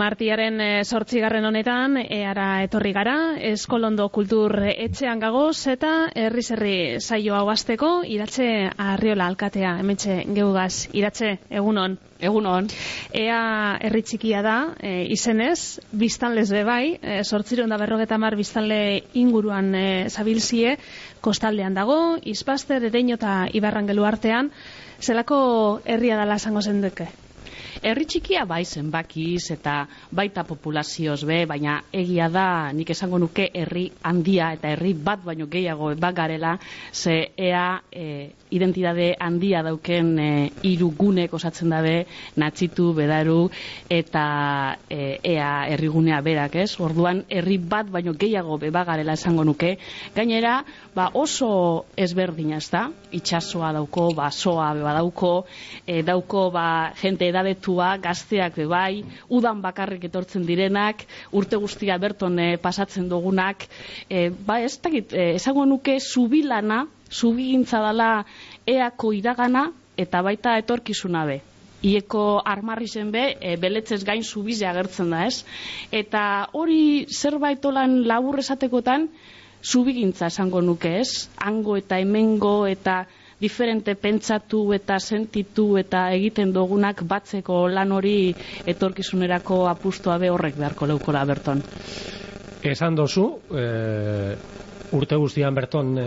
Martiaren 8. honetan, eara etorri gara, Eskolondo Kultur Etxean gagoz, eta herri saio hau hasteko, Iratxe Arriola alkatea, hementxe geugaz. Iratxe, egunon. Egunon. Ea herri txikia da, izenez, biztanlez bebai, 850 biztanle inguruan zabilzie, kostaldean dago, Izpaster, Ereño eta Ibarrangelu artean, zelako herria dela esango zenduke? Herri txikia bai zenbakiz eta baita populazioz be, baina egia da nik esango nuke herri handia eta herri bat baino gehiago bat garela, ze ea identitate handia dauken hiru gunek osatzen dabe, Natxitu, Bedaru eta ea herrigunea berak, ez? Orduan herri bat baino gehiago be bat garela esango nuke. Gainera, oso ezberdina, ezta? Itsasoa dauko, soa be badauko, dauko jente edadetua, gazteak be bai, udan bakarrik etortzen direnak, urte guztia berton pasatzen dugunak, ez dakit, esango nuke zubilana, zubigintza dela eako iragana eta baita etorkizuna be. Ieko armarri zen be, beletzez gain zubize agertzen da, ez? Eta hori zerbait olan labur esatekotan, zubigintza esango nuke, ez? Hango eta hemengo eta diferente pentsatu eta sentitu eta egiten dugunak batzeko lan hori etorkizunerako apustua be horrek beharko leukola berton. Esan dozu, urte guztian berton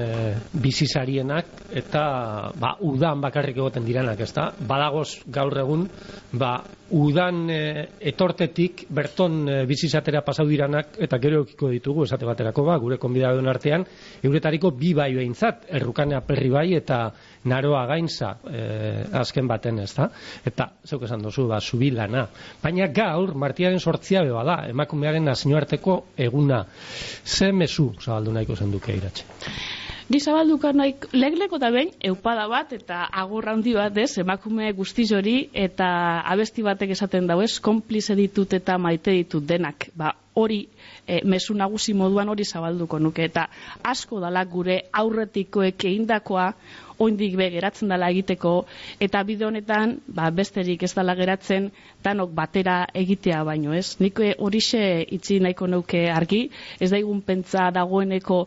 bizizarienak eta udan bakarrik egoten direnak, ezta? Badagoz gaur egun, udan etortetik berton bizizatera pasau diranak eta gero eukiko ditugu esate baterako gure konbidaduen artean, euretariko bi bai behintzat, Errukanea Perri bai eta Naroa Gaintza azken baten, ezta? Eta, zeuk esan dozu, zubilana. Baina gaur, Martiaren 8 bada, emakumearen nazioarteko eguna. Ze mezu zabaldu nahiko zenduke, Iratxe? Ni zabalduko nahi, legleko da behin, eupada bat eta agurra handi bat, emakume guztiz hori eta abesti batek esaten dau, konplize ditut eta maite ditut denak. Hori, mezu nagusi moduan hori zabalduko nuke, eta asko dala gure aurretikoek egindakoa, oindik be geratzen dela egiteko, eta bide honetan, besterik ez dela geratzen, danok batera egitea baino, ez? Nik horixe itzi nahiko neuke argi, ez daigun pentsa dagoeneko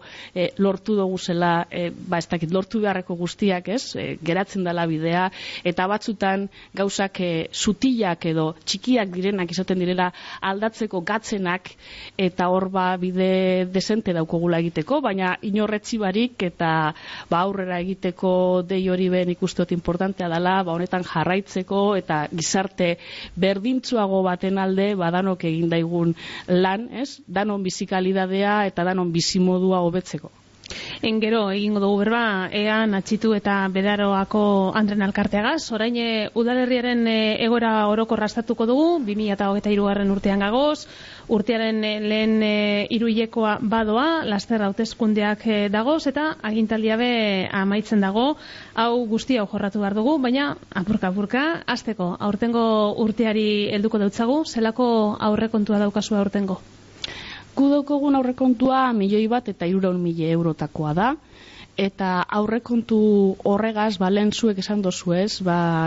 lortu dugu zela, ez dakit, lortu beharreko guztiak, ez? Geratzen dela bidea, eta batzutan gauzak sutilak edo txikiak direnak izaten direla aldatzeko gatzenak, eta hor bide desente daukogula egiteko, baina inorretzi barik eta aurrera egiteko dei hori ben ikustot importantea dela, honetan jarraitzeko eta gizarte berdintzuago baten alde danok egin daigun lan, ez? Danon bizikalidadea eta danon bizimodua hobetzeko. Gero egingo dugu berba, ea Natxitu eta Bedaroako Andren Alkarteagaz, orain udalerriaren egoera orokorra aztertuko dugu, 2023 urtean gagoz, urtearen lehen hiruhilekoa badoa, laster hauteskundeak dagoz, eta agintaldia be amaitzen dago, hau guztia jorratu behar dugu, baina apurka, hasteko, aurtengo urteari helduko deutzagu, zelako aurrekontua daukazu aurtengo? Gudokogun aurrekontua 1.100.000 eurotakoa da, eta aurrekontu horregaz, lehen zuek esan dozu ez,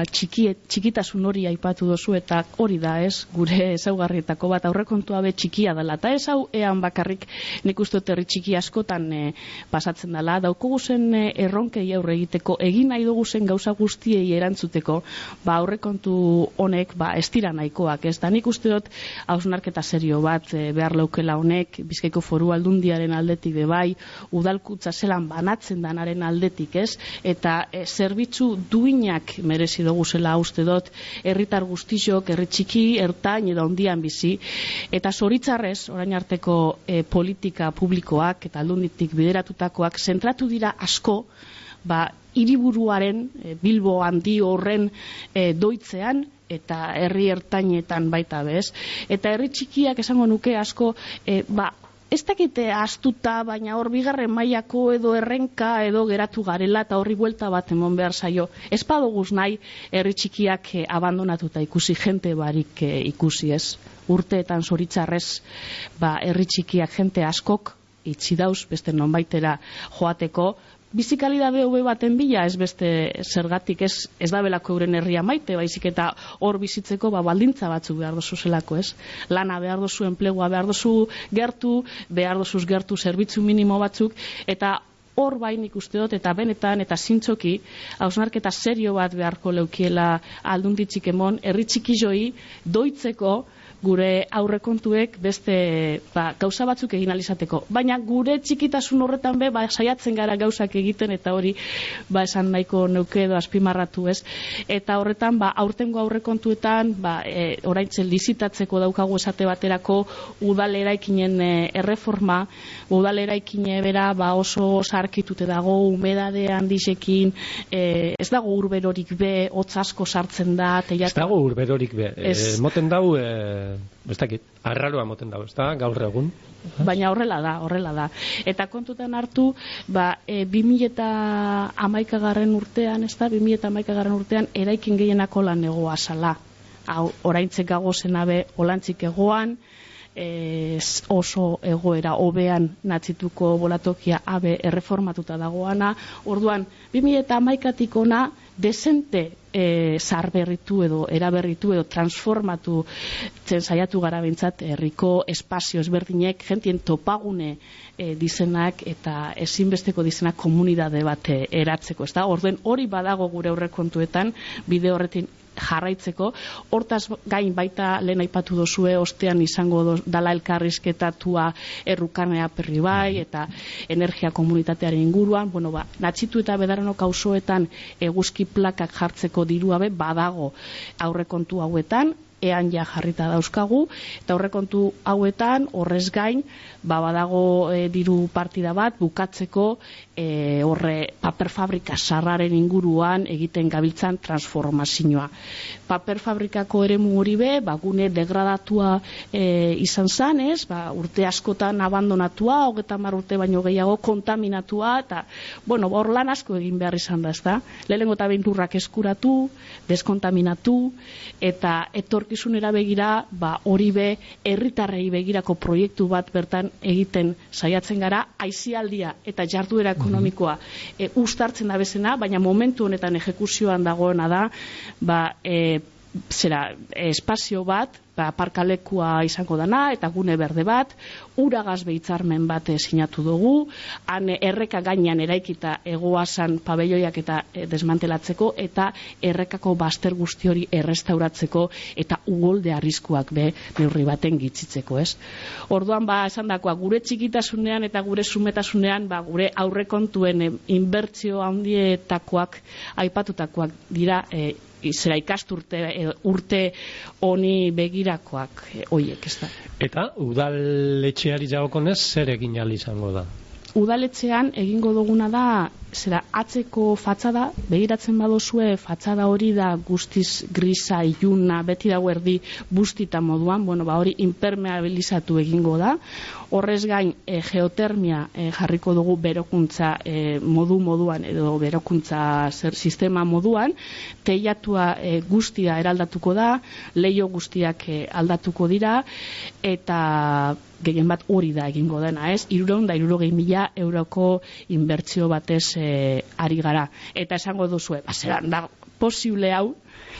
txikitasun hori aipatu dozu, eta hori da ez, gure ezaugarrietako bat aurrekontua be txikia dela, eta ez hau ean bakarrik nik uste herri txiki askotan pasatzen dela, daukogu zen erronkei aurre egiteko, egin nahi dugu zen gauza guztiei erantzuteko, aurrekontu honek ez dira nahikoak, ez da nik uste dut hausnarketa serio bat behar leukela honek, Bizkaiko Foru Aldundiaren aldetik bebai, udalkutza zelan banatzen danaren aldetik, ez? Eta zerbitzu duinak merezi dugu zela uste dut, herritar guztizok, herri txiki, ertain edo handian bizi, eta zoritzarrez, orain arteko politika publikoak eta aldunditik bideratutakoak zentratu dira asko, hiriburuaren, Bilbo handi horren doitzean, eta herri ertainetan baita bez. Eta herri txikiak esango nuke asko, ez dakite astuta, baina hor bigarren mailako edo errenka edo geratu garela eta horri buelta bat emon behar zaio. Ez badoguz nahi herri txikiak abandonatuta ikusi, jente barik ikusi ez. Urteetan zoritzarrez herri txikiak jente askok itxi dauz, beste nonbaitera joateko, bizikalidade hobe baten bila, ez beste zergatik, ez da belako euren herria maite, baizik eta hor bizitzeko baldintza batzuk behar dozu zelako, ez? Lana behar dozu, enplegua behar dozu gertu, behar dozuz gertu zerbitzu minimo batzuk, eta hor bain ikuste dut, eta benetan, eta zintzoki, hausnarketa serio bat beharko leukiela aldunditzik emon, herri txiki joi, doitzeko, gure aurrekontuek beste gauza batzuk egin alizateko. Baina gure txikitasun horretan saiatzen gara gauzak egiten, eta hori esan nahiko neuke edo azpimarratu, ez? Eta horretan, aurtengo aurrekontuetan, oraintxe lizitatzeko daukagu esate baterako udal eraikinen erreforma, udal eraikine bera oso sarkitute dago, humedade handizekin, ez dago urberorik be, hotz asko sartzen da. Ez dago urberorik be. Moten dau... ez dakit, arraroa moten dago, ez da, gaur egun. Baina horrela da. Eta kontutan hartu, 2011 urtean, ez da, 2011 urtean, eraikin gehienak lan egoa zala. Oraintzek gagozen abe, olantzik egoan, oso egoera hobean natzituko bolatokia abe erreformatuta dagoana. Orduan, 2011tik ona, desente zarberritu edo eraberritu edo transformatu saiatu gara bintzat herriko espazio ezberdinek, jentien topagune dizenak eta ezinbesteko dizenak komunidade bat eratzeko, ez da? Orduen hori badago gure aurrekontuetan, bide horretin jarraitzeko, hortaz gain baita lehen aipatu dozue, ostean izango dala elkarrizketatua errukanea perri bai, eta energia komunitatearen inguruan, natxitu eta bedaranok auzoetan eguzki plakak jartzeko diruabe badago aurrekontu hauetan, ean ja jarrita dauzkagu, eta aurrekontu hauetan, horrez gain, badago diru partida bat, bukatzeko horre paper fabrika sarraren inguruan egiten gabiltzan transformazioa. Paper fabrikako eremu hori be, gune degradatua izan zanez, urte askotan abandonatua, 30 urte baino gehiago kontaminatua, eta, hor lan asko egin behar izan da, ez da? Lehenengo eta behin lurrak eskuratu, deskontaminatu, eta etorkizunera begira, hori be, herritarrei begirako proiektu bat bertan egiten saiatzen gara, aisialdia eta jarduera ekonomikoa uztartzen da bezena, baina momentu honetan ejekuzioan dagoena da, espazio bat, parkalekua izango dana, eta gune berde bat, uragaz behitzarmen bat sinatu dugu, han erreka gainean eraikita egoazan pabelloiak eta desmantelatzeko, eta errekako baster guzti hori errestauratzeko, eta ugolde arriskuak neurri baten gitzitzeko, ez? Orduan, esan dakoa, gure txikitasunean eta gure sumetasunean, gure aurrekontuen inbertsio handietakoak, aipatutakoak dira, ikasturte urte honi begirakoak hoiek, ez da. Eta udaletxeari jagokonez zer egin ahal izango da? Udaletxean egingo duguna da, atzeko fatxada, begiratzen badozue, fatxada hori da guztiz grisa, iluna, beti dago erdi bustita moduan, hori impermeabilizatu egingo da. Horrez gain, geotermia jarriko dugu berokuntza moduan, edo berokuntza sistema moduan, teilatua guztia eraldatuko da, leio guztiak aldatuko dira, eta gehien bat hori da egingo dena, ez? 360.000 euroko inbertsio batez ari gara. Eta esango duzue, zeran da posible hau,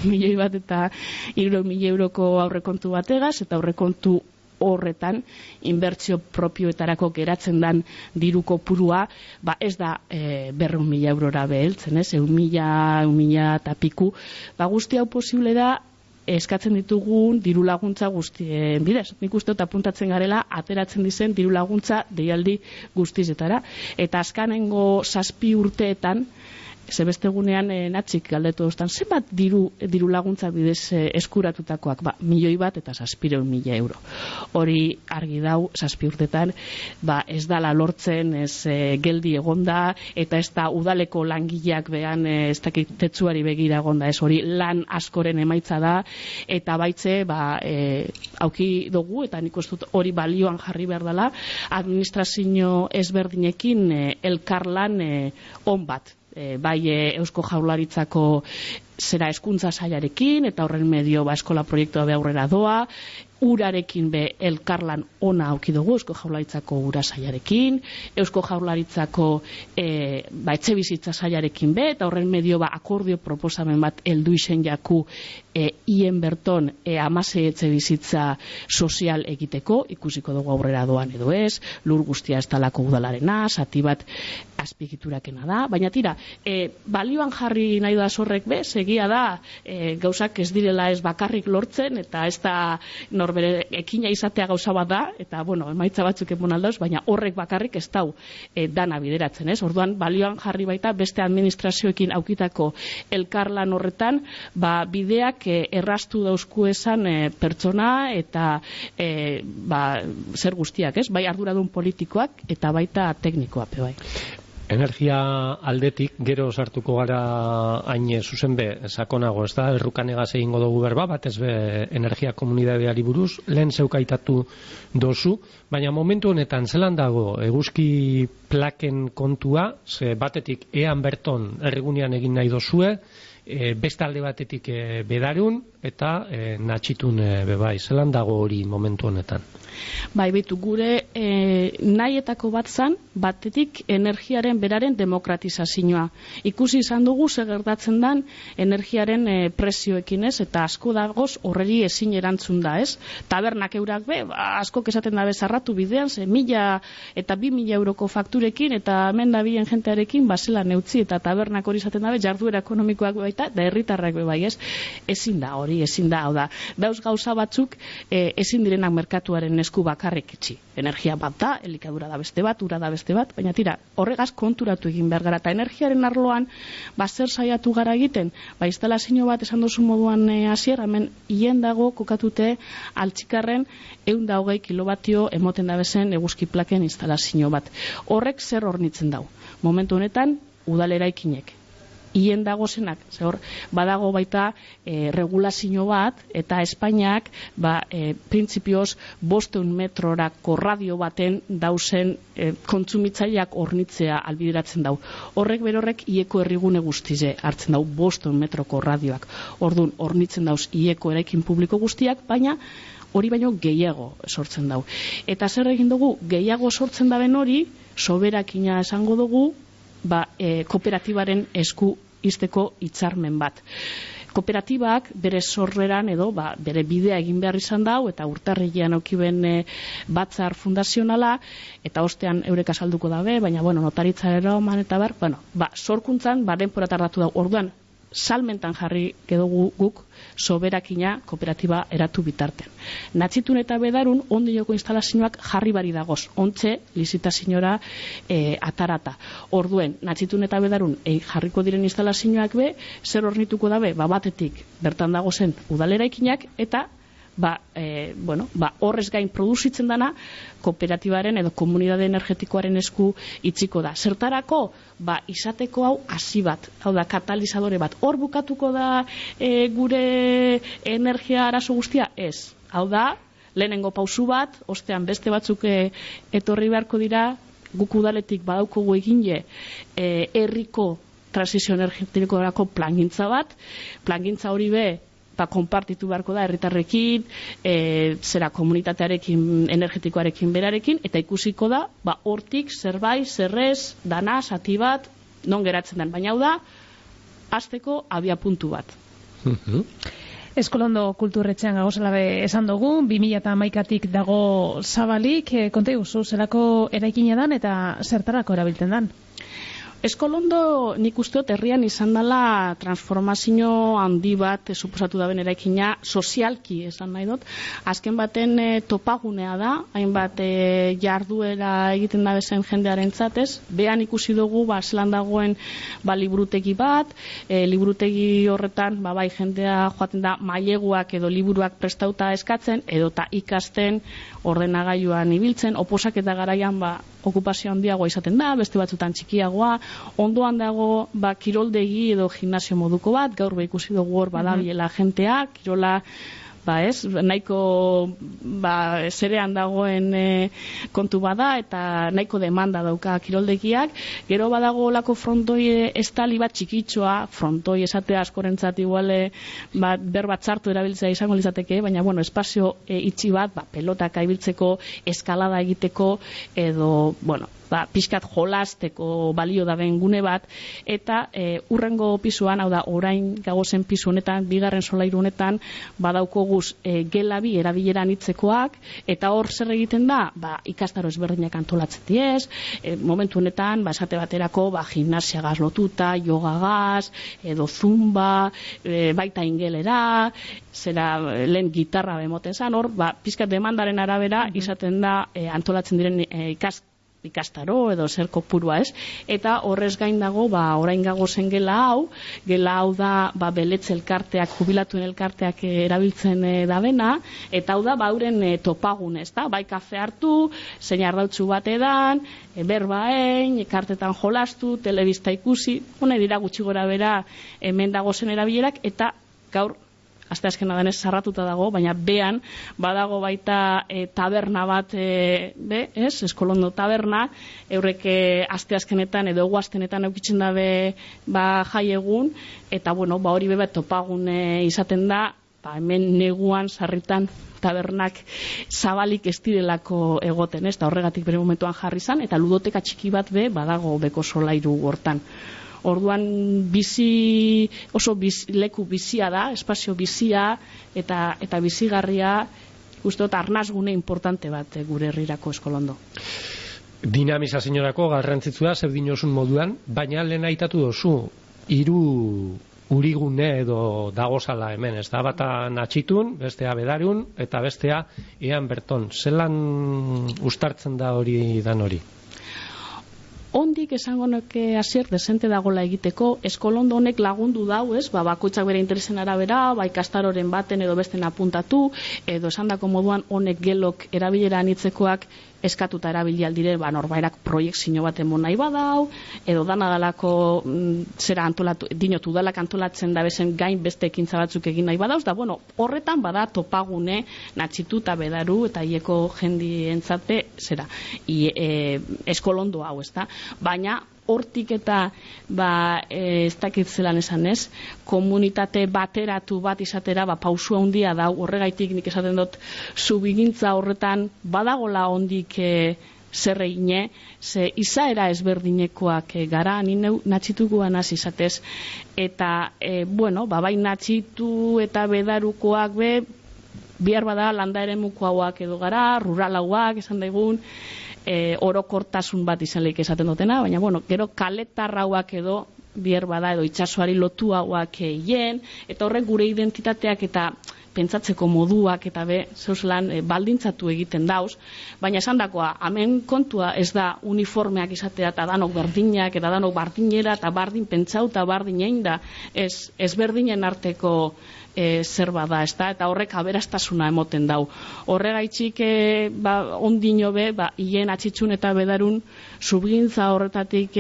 1.000.000 eta 300.000 euroko aurrekontu bategaz, eta aurrekontu horretan inbertsio propioetarako geratzen dan diruko purua, ez da 200.000 eurora beheltzen, ez? 1.000 eta piku. Guzti hau posible da, eskatzen ditugun diru laguntza guztien bidez. Nik uste dut apuntatzen garela, ateratzen dizen diru laguntza deialdi guztizetara. Eta azkanengo 7 urteetan, zebestegunean natxik galdetu duztan, zenbat diru laguntza bidez eskuratutakoak? 1.000.000 eta 700.000 euro. Hori argi dau, 7 urtetan, ez dala lortzen, ez geldi egonda, eta ez da udaleko langileak behan, ez dakit tetsuari begira egonda, ez hori lan askoren emaitza da, eta baitze, auki dugu, eta nik uste dut hori balioan jarri behar dela, administrazio ezberdinekin elkarlan on bat. Bai Eusko Jaurlaritzako hezkuntza sailarekin, eta horren medio eskola proiektua aurrera doa, urarekin be elkarlan ona auki dugu Eusko Jaurlaritzako ura sailarekin, Eusko Jaurlaritzako etxe bizitza sailarekin be, eta horren medio akordio proposamen bat heldu izen jaku hien berton 16 etxe bizitza sozial egiteko, ikusiko dugu aurrera doan edo ez, lur guztia ez talako udalarena, zati bat azpigiturakena da, baina tira, balioan jarri nahi da zorrek be, segia da, gauzak ez direla ez bakarrik lortzen, eta ez da norbere ekina izatea gauza bat da, eta bueno, emaitza batzuk emon aldauz, baina horrek bakarrik ez dau dana bideratzen, ez? Orduan, balioan jarri baita beste administrazioekin aukitako elkarlan horretan, bideak errastu dauzku esan pertsona eta zer guztiak, ez? Bai arduradun politikoak eta baita teknikoak, bai. Energia aldetik, gero sartuko gara hain zuzen be, sakonago, ez da, errukanegaz egingo dugu berba, batez be energia komunidadeari buruz, lehen zeukaitatu dozu, baina momentu honetan zelan dago eguzki plaken kontua, ze batetik ean berton erregunean egin nahi dozue, beste alde batetik bedarun, eta natxitun bebai, zelan dago hori momentu honetan? Bai, betu, gure nahietako bat zan, batetik energiaren beraren demokratizazioa. Ikusi izan dugu gertatzen dan energiaren prezioekin, ez, eta asko dagoz horreri ezin erantzun da, ez? Tabernak eurak be, asko esaten dabe zarratu bidean, 1.000 eta 2.000 euroko fakturekin, eta hemen da bien jentearekin basela neutzi, eta tabernak hori izaten dabe, jarduera ekonomikoak baita, da herritarrak be bai, ez? Ezin da hori, ezin da, hau da. Dauz gauza batzuk ezin direnak merkatuaren esku bakarrik itxi. Energia bat da, elikadura da beste bat, ura da beste bat, baina tira, horregaz konturatu egin behar gara. Eta energiaren arloan, zer saiatu gara egiten, instalazio bat esan dozu moduan hasier, hemen hien dago kokatute Altzikarren 120 kilobatio emoten dabezen eguzki plaken instalazio bat. Horrek zer hornitzen dau. Momentu honetan, udaleraekinek. Hien dago zenak, badago baita regulazio bat, eta Espainiak printzipioz 500 metrorako radio baten dauzen kontsumitzaileak hornitzea albideratzen dau. Horrek berorrek ieko errigune guztize hartzen dau 500 metroko radioak. Orduan, hornitzen dauz ieko eraikin publiko guztiak, baina hori baino gehiago sortzen dau. Eta zer egin dugu, gehiago sortzen daben hori, soberakina esango dugu, kooperatibaren esku izteko hitzarmen bat. Kooperatibak bere sorreran edo bere bidea egin behar izan dau, eta urtarrilean aukiben batzar fundazionala, eta ostean eurek azalduko dabe, baina notaritza eroman eta sorkuntzan denpora tardatu dau. Orduan, salmentan jarri gedugu guk soberakina kooperatiba eratu bitartean. Natxitun eta bedarun ondioko instalazioak jarri bari dagoz, ontxe lizitaziora atarata. Orduen, natxitun eta bedarun jarriko diren instalazioak be, zer hornituko dabe, batetik bertan dagozen udaleraikinak, eta horrez gain produzitzen dana kooperatibaren edo komunitate energetikoaren esku itziko da. Zertarako, izateko hau hasi bat, hau da katalizadore bat. Hor bukatuko da gure energia arazo guztia? Ez. Hau da, lehenengo pausu bat, ostean beste batzuk etorri beharko dira, guk udaletik badaukogu egine herriko transizio energetikorako plangintza bat, plangintza hori be konpartitu beharko da herritarrekin, komunitatearekin, energetikoarekin berarekin, eta ikusiko da, hortik zerbait, zerrez, dana, zati bat, non geratzen den. Baina hau da, hasteko abia puntu bat. Eskolondo kulturretxean gagozela esan dugu, 2011-tik dago zabalik, konta iguzu, zelako eraikina dan eta zertarako erabiltzen dan? Eskolondo nik usteot herrian izan dela transformazio handi bat suposatu daben eraikina sozialki esan nahi dut. Azken baten topagunea da, hainbat jarduera egiten da bezen jendearen zatez. Behan ikusi dugu zelan dagoen liburutegi bat, liburutegi horretan bai jendea joaten da maileguak edo liburuak prestauta eskatzen, edota ikasten ordenagailuan ibiltzen, oposaketa garaian okupazio handiagoa izaten da, beste batzutan txikiagoa, ondoan dago kiroldegi edo gimnasio moduko bat, gaur ikusi dugu hor badabilela jentea, kirola nahiko zerean dagoen kontu bada eta nahiko demanda dauka kiroldegiak. Gero badago olako frontoi estali bat txikitxoa, frontoi esatea askorentzat iguale berbat txartu erabiltzea izango lizateke, baina espazio itxi bat, pelotak ibiltzeko, eskalada egiteko, edo, pixkat jolasteko balio daben gune bat, eta urrengo pisuan, hau da, orain gagozen pisu honetan, bigarren solairu honetan, badaukoguz gelabi erabileran hitzekoak, eta hor zer egiten da, ikastaro ezberdinak antolatzen diez, momentu honetan, esate baterako, gimnasiagaz lotuta, yogagaz, edo zumba, baita ingelera, zera lehen gitarra bemoten zan, hor, pixkat demandaren arabera, izaten da, antolatzen diren ikastaro edo zer kopurua, ez? Eta horrez gain dago, orain gagozen gela hau da, beletze elkarteak, jubilatuen elkarteak erabiltzen dabena, eta hau da, euren topagun, ez da? Bai kafe hartu, zein ardautzu bat edan, berbaen, kartetan jolastu, telebista ikusi, hone dira gutxi gora bera hemen dagozen erabilerak, eta gaur asteazkena denez sarratuta dago, baina behan badago baita taberna bat, Eskolondo taberna, eurrek asteazkenetan edo eguaztenetan eukitzen dabe jai egun, eta hori beba topagun izaten da, hemen neguan sarritan tabernak zabalik ez direlako egoten, eta horregatik bere momentuan jarri zan, eta ludoteka txiki bat badago beko solairu hortan. Orduan oso leku bizia da, espazio bizia eta bizigarria, usteot arnazgune importante bat gure herrirako Eskolondo. Dinamizazioarako garrantzitsua zer dinosun moduan, baina lehen aitatu dozu, 3 urigune edo dagozala hemen, ez da, bata Natxitun, bestea Bedarun, eta bestea Ean Berton. Zelan ustartzen da hori dan hori? Ondik esango nuke hasier desente dagola egiteko, Eskolondo honek lagundu dau, bakoitzak bere interesen arabera, ikastaroren baten edo besten apuntatu, edo esandako moduan honek gelok erabileran hitzekoak eskatuta erabili aldire, norbairak proiektzio bat emon nahi badau, edo dana dalako zera antolatu, dinotu dalak antolatzen da bezen gain beste ekintza batzuk egin nahi badauz, da horretan bada topagune Natxitu eta Bedaru eta hieko jendi entzate zera, Eskolondo hau, ez da, baina hortik eta ez dakit zelan esan ez, komunitate bateratu bat izatera pausua handia da, horregaitik nik esaten dut zubigintza horretan badagola ondik zer egine, ze izaera ezberdinekoak gara, nine Natxitukoan hasi izatez, eta bai Natxitu eta Bedarukoak bihar bada landa eremuko hauak edo gara, rural hauak esan daigun, orokortasun bat izaleik esaten dutena, baina gero kaletarrauak edo bier bada edo itsasoari lotu hauak hien, eta horrek gure identitateak eta pentsatzeko moduak eta zeuslan baldintzatu egiten dauz, baina esan dakoa, hemen kontua ez da uniformeak izatea eta danok berdinak eta danok bardinera eta bardin pentsau eta bardin egin da, ez berdinen arteko zer bada, eta horrek aberastasuna emoten dau. Horregaitzik ondino hien Atxitxun eta Bedarun subgintza horretatik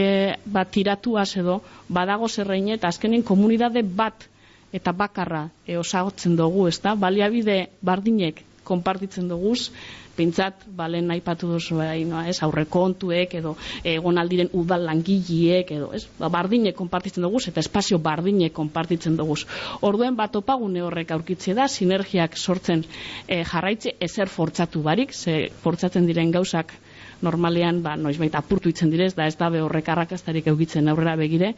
tiratuaz edo badago zerreine eta azkenen komunidade bat eta bakarra osagotzen dugu, baliabide bardinek konpartitzen duguz, pintzat, balen aipatu duzu aurrekontuek edo egon aldiren udal langileek edo bardinek konpartitzen duguz eta espazio bardinek konpartitzen duguz. Orduen topagune horrek aurkitze da, sinergiak sortzen jarraitze, ezer fortzatu barik, ze fortzatzen diren gauzak normalean noizbait apurtu itzen direz, da ez dabe horrek arrakastarik eukitzen aurrera begire.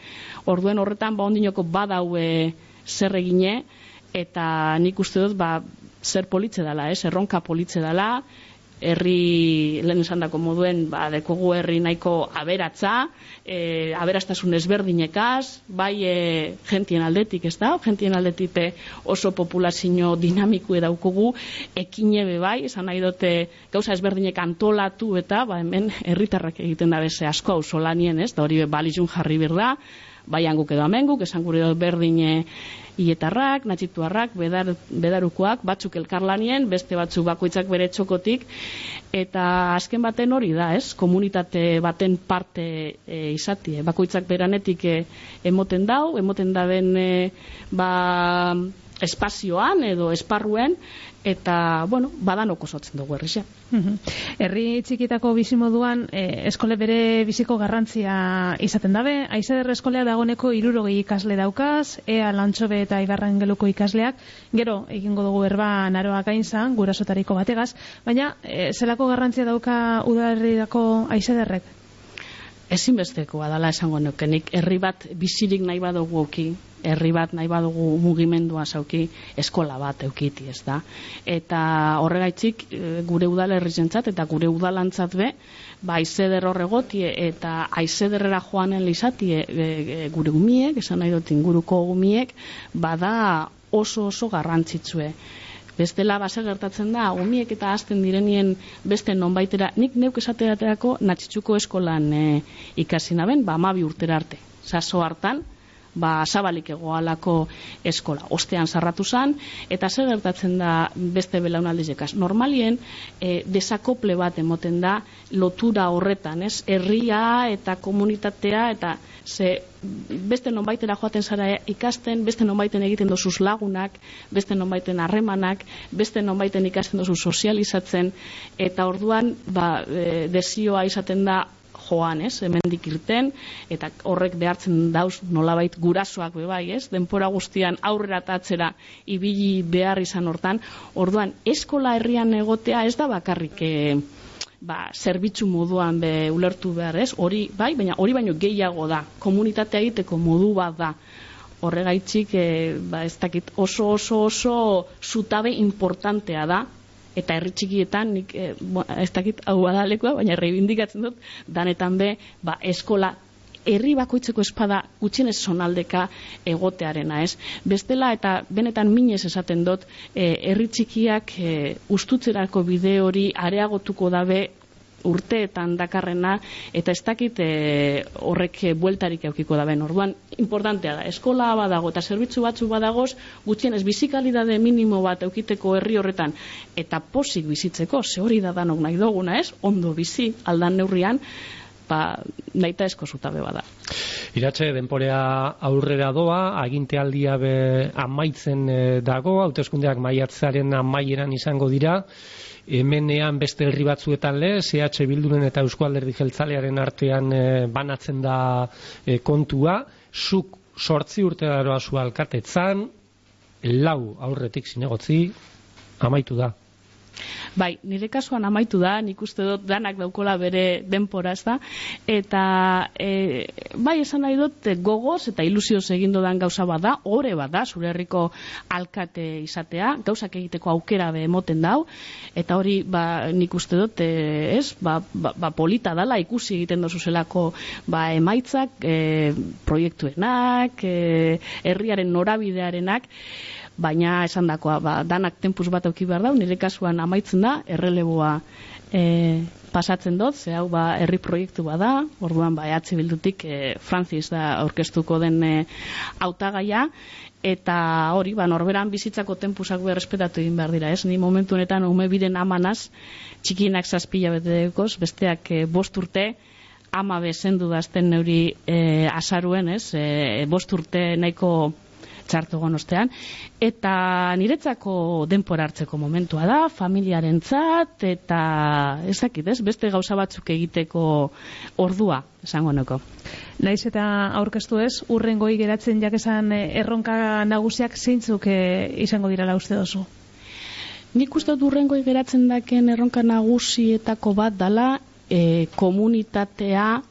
Orduen horretan ondinoko badau zer egine, eta nik uste dut zer politze dela, erronka politze dela, herri lehen esan dako moduen dekogu herri nahiko aberatza, aberastasun ezberdinekaz, bai jentien aldetik, ez da? Jentien aldetik oso populazio dinamiku edaukogu, ekine bai, esan nahi dute gauza ezberdinek antolatu eta hemen herritarrak egiten da beze asko hau solanien, ez? Da hori balizun jarri berda, bai hanguk edo amenguk, esan gure berdine Ietarrak, Natxituarrak, Bedarukoak, batzuk elkarlanien, beste batzuk bakoitzak bere txokotik, eta azken baten hori da, komunitate baten parte bakoitzak beranetik emoten dau, emoten da ben espazioan edo esparruen, eta, bueno, badanok osotzen dugu herrixe. Herri txikitako bizimoduan, eskole bere biziko garrantzia izaten dabe. Aizeder eskolea dagoneko 60 ikasle daukaz, Ea Lantxobe eta Ibarrangeluko ikasleak, gero egingo dugu berba Naroa Gainzan, gurasotariko bategaz, baina zelako garrantzia dauka udalerrirako Aizederrek? Ezinbestekoa dela esango nukenik, herri bat bizirik nahi badugu auki, herri bat nahi badugu mugimendua zauki, eskola bat eukiti, ez da. Eta horregaitzik gure udalerrizentzat eta gure udalantzat be, Aizeder horregotie eta Aizederrera joanen lizatie gure umiek, esan nahi dut inguruko umiek, bada oso garrantzitsue. Bestela base gertatzen da, umiek eta hasten direnien beste nonbaitera, nik neuk esateaterako Natxitxuko eskolan ikasi naben, 12 urtera arte. Saso hartan, zabalik egoalako eskola. Ostean sarratu zan, eta zer gertatzen da beste belaunaldizekaz. Normalien, desakople bat emoten da lotura horretan, ez? Herria eta komunitatea, eta beste nonbaitera joaten zara ikasten, beste nonbaiten egiten dozuz lagunak, beste nonbaiten harremanak, beste nonbaiten ikasten dozuz sozializatzen, eta orduan desioa izaten da joan, hemendik irten, eta horrek behartzen dauz nolabait gurasoak bebai, denpora guztian aurrera eta atzera ibili behar izan hortan. Orduan, eskola herrian egotea ez da bakarrik zerbitzu moduan ulertu behar, hori bai, baina hori baino gehiago da, komunitatea egiteko modu bat da. Horregaitzik, ez dakit, oso zutabe importantea da, eta herri txikietan, nik ez dakit hau badalekoa, baina reibindikatzen dut, danetan eskola herri bakoitzeko espada gutxienez zonaldeka egotearena, Bestela, eta benetan minez esaten dut, herri txikiak ustutzerako bide hori areagotuko dabe urteetan dakarrena, eta ez dakit horrek bueltarik eukiko daben. Orduan, importantea da, eskola badago eta zerbitzu batzu badagoz, gutxienez bizikalidade minimo bat eukiteko herri horretan, eta posik bizitzeko, ze hori da danok nahi duguna, ondo bizi, aldan neurrian, nahita esko zutabe bada. Iratxe, denporea aurrera doa, agintealdia amaitzen dago, hauteskundeak maiatzaren amaieran izango dira, hemenean beste herri batzuetan CH Bilduren eta Eusko Alderdi Jeltzalearen artean banatzen da kontua, zuk 8 urte daroa zu alkatetzan, 4 aurretik zinegotzi, amaitu da. Bai, nire kasuan amaitu da, nik uste dut danak daukola bere denpora, ez da, eta bai, esan nahi dut gogoz eta ilusioz egindu dan gauza bada, ore bada, zure herriko alkate izatea, gauzak egiteko aukera emoten dau, eta hori nik uste dut, polita dala, ikusi egiten dozuzelako emaitzak, proiektuenak, herriaren norabidearenak, baina esan dakoa, danak tempuz bat auki behar dau, nire kasuan amaitzen da, erreleboa pasatzen dut, ze hau herri proiektu bada, orduan EH Bildutik Francis da aurkeztuko den hautagaia, eta hori, norberan bizitzako tempusak errespetatu egin behar dira, ni momentu honetan ume biren amanaz, txikienak 7 hilabetekoz, besteak 5 urte, ama bezendu dazten neuri azaruen, 5 urte nahiko txartu gonostean, eta niretzako denpora hartzeko momentua da, familiarentzat, eta ezakit, beste gauza batzuk egiteko ordua, esango nuko. Naiz eta aurkeztu urrengoi geratzen jakesan erronka nagusiak zeintzuk izango direla uste dozu? Nik uste dut urrengoi geratzen daken erronka nagusietako bat dala komunitatea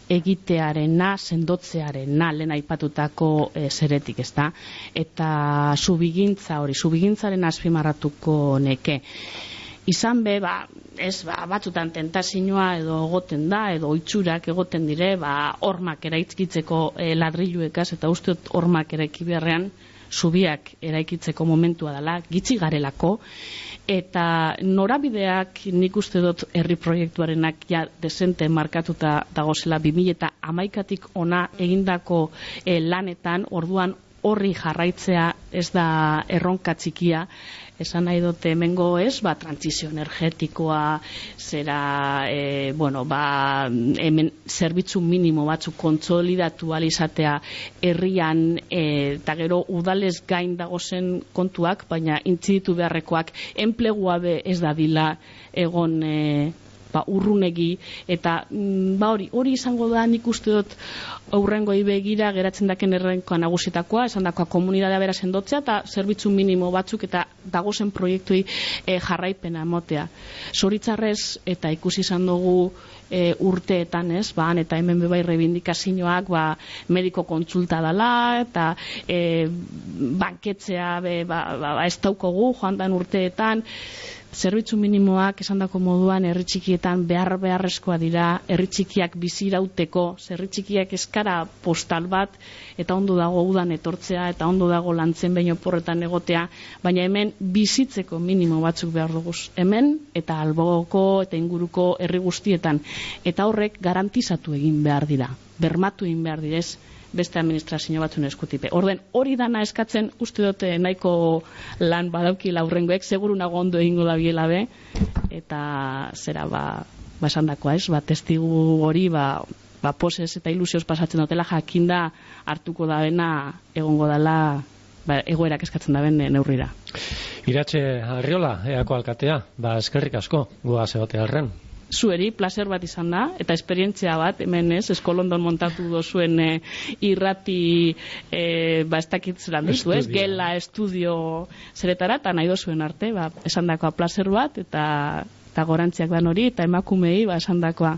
egitearena, sendotzearena, lehen aipatutako zeretik, ezta? Eta subigintzaren azpimarratuko neke. Izan batzutan tentazioa edo egoten da, edo oitzurak egoten dire, hormak eraikitzeko ladriluekaz, eta uste dut hormak eraiki beharrean, zubiak eraikitzeko momentua dela, gitxi garelako, eta norabideak nik uste dut herri proiektuarenak desente markatuta dagozela 2011tik ona egindako lanetan, orduan horri jarraitzea ez da erronka txikia, esan nahi dute hemengo trantsizio energetikoa, zera, hemen zerbitzu minimo batzuk kontsolidatu alizatea herrian, eta gero udalez gain dagozen kontuak, baina intziditu beharrekoak enplegua be ez dadila egon urrunegi, eta hori izango da, nik uste dut aurrengoi begira geratzen daken errenkoa nagusitakoa, esan dakoa komunitatea bera sendotzea eta zerbitzu minimo batzuk eta dagozen proiektui jarraipena motea. Zoritzarrez, eta ikusi izan dugu urteetan, han eta hemen bebai rebindikazioak mediko kontsulta dela, eta banketzea ez daukogu joan dan urteetan, zerbitzu minimoak esandako moduan herri txikietan beharrezkoa dira, herri txikiak bizirauteko, herri txikiak eskara postal bat, eta ondo dago udan etortzea, eta ondo dago lantzen behin oporretan egotea, baina hemen bizitzeko minimo batzuk behar dugu. Hemen eta alboko eta inguruko herri guztietan, eta horrek garantizatu egin behar dira, bermatu egin behar direz, beste administrazio batzun eskutipe. Orden, hori dana eskatzen, uste dute nahiko lan badaukila aurrengoek, seguru nago ondo egingo da biela be, eta zera, esan dakoa testigu hori, poses eta ilusioz pasatzen dutela, jakinda hartuko da bena, egongo dela, egoerak eskatzen da ben neurrira. Iratxe Arriola, eako alkatea, eskerrik asko, goaz egote harren. Zueri, placer bat izan da, eta esperientzia bat, hemen eskolondon montatu dozuen irrati, ez dakit zelan ditu, gela, estudio zeretara, eta nahi dozuen arte, esan dakoa placer bat, eta gorantziak dan hori, eta emakumei, esan dakoa,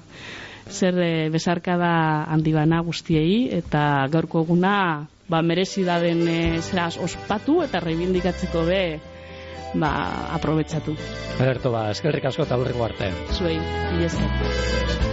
zer besarkada handi bana guztiei, eta gaurko eguna, merezi da den zeraz ospatu, eta reibindikatzeko be, aprobetxatu. Ederto, eskerrik asko eta aurreko arte. Zuei, esker.